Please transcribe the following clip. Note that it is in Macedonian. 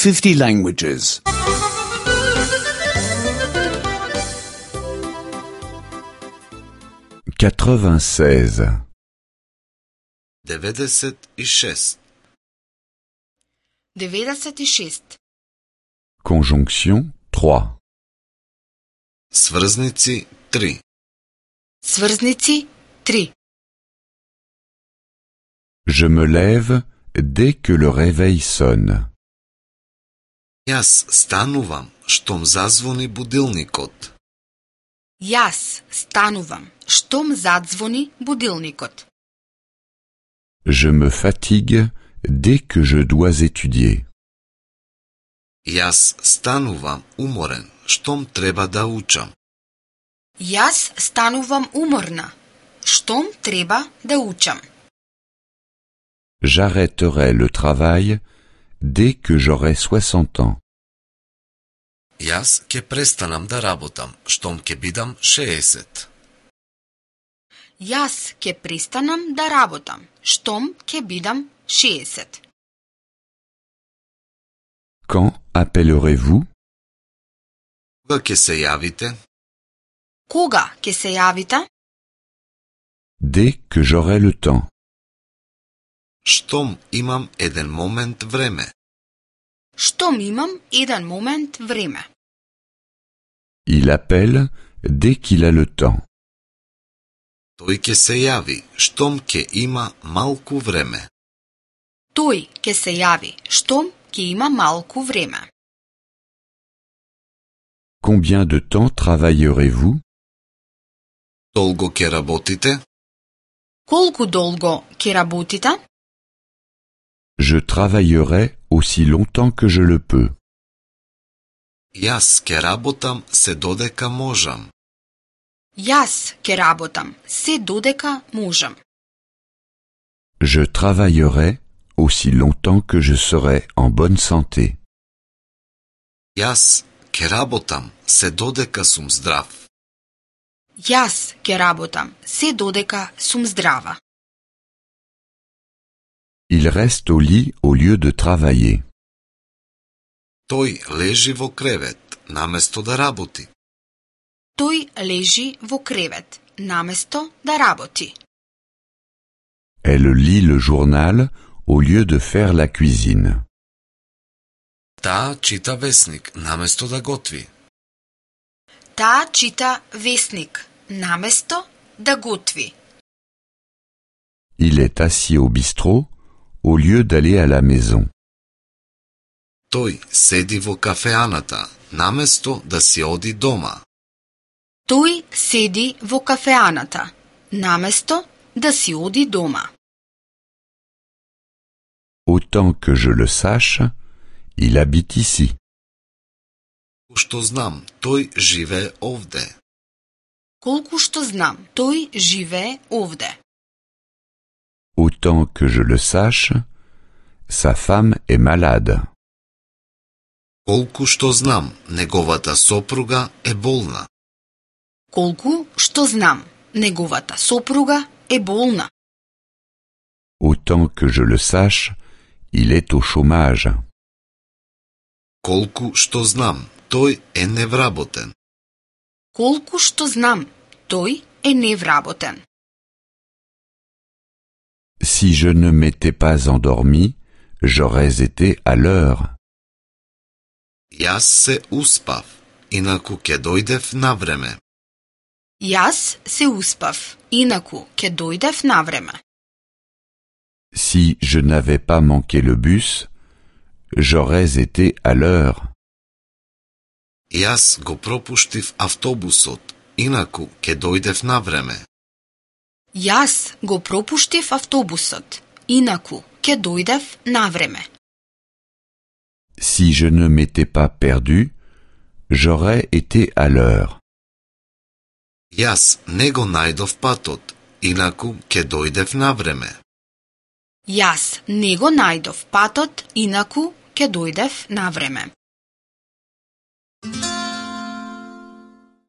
50 languages. 96. 96. 96. Conjonction 3. Сврзници 3. Сврзници 3. Je me lève dès que le réveil sonne. Јас станувам штом зазвони будилникот. Јас станувам штом задзвони будилникот. Je me fatigue dès que je dois étudier. Јас станувам уморен штом треба да учам. Јас станувам уморна штом треба да учам. J'arrêterai le travail dès que j'aurai 60 ans. Јас ќе престанам да работам штом ќе бидам 60. Јас ќе престанам да работам штом ќе бидам 60. Quand appellerez-vous? Кога ќе се јавите? Кога ќе се јавите? Dès que j'aurai le temps. Штом имам еден момент време. Штом имам еден момент време. Il appelle dès qu'il a le temps. Тој ќе се јави штом ќе има малку време. Тој ќе се јави штом ќе има малку време. Combien de temps travaillerez-vous? Долго ќе работите? Колку долго ќе работите? Je travaillerai aussi longtemps que je le peux. Јас ќе работам се додека можам. Јас ќе работам се додека можам. Je travaillerai aussi longtemps que je serai en bonne santé. Јас ќе работам се додека сум здрав. Јас ќе работам се додека сум здрава. Il reste au lit au lieu de travailler. Тој лежи во кревет наместо да работи. Тој лежи во кревет наместо да работи. Elle lit le journal au lieu de faire la cuisine. Таа чита весник наместо да готви. Таа чита весник наместо да готви. Il est assis au bistrot au lieu d'aller à la maison. Тој седи во кафеаната наместо да си оди дома. Тој седи во кафеаната наместо да си оди дома. Autant que je le sache, il habite ici. Што знам, тој живее овде. Колку што знам, тој живее овде. Autant que je le sache, sa femme est malade. Колку што знам, неговата сопруга е болна. Колку што знам, неговата сопруга е болна. Autant que je le sache, il est au chômage. Колку што знам, тој е невработен. Колку што знам, тој е невработен. Si je ne m'étais pas endormi, j'aurais été à l'heure. Јас се успав, инаку ќе дојдев на време. Јас се успав, инаку ќе дојдев на време. Si je n'avais pas manqué le bus, j'aurais été à l'heure. Јас го пропуштив автобусот, инаку ќе дојдев на време. Јас го пропуштив автобусот, инаку ќе дојдев на време. Si je ne m'étais pas perdu, j'aurais été à l'heure. Јас не го најдов патот, инаку ќе дојдев на време. Јас не го најдов патот, инаку ќе дојдев на време.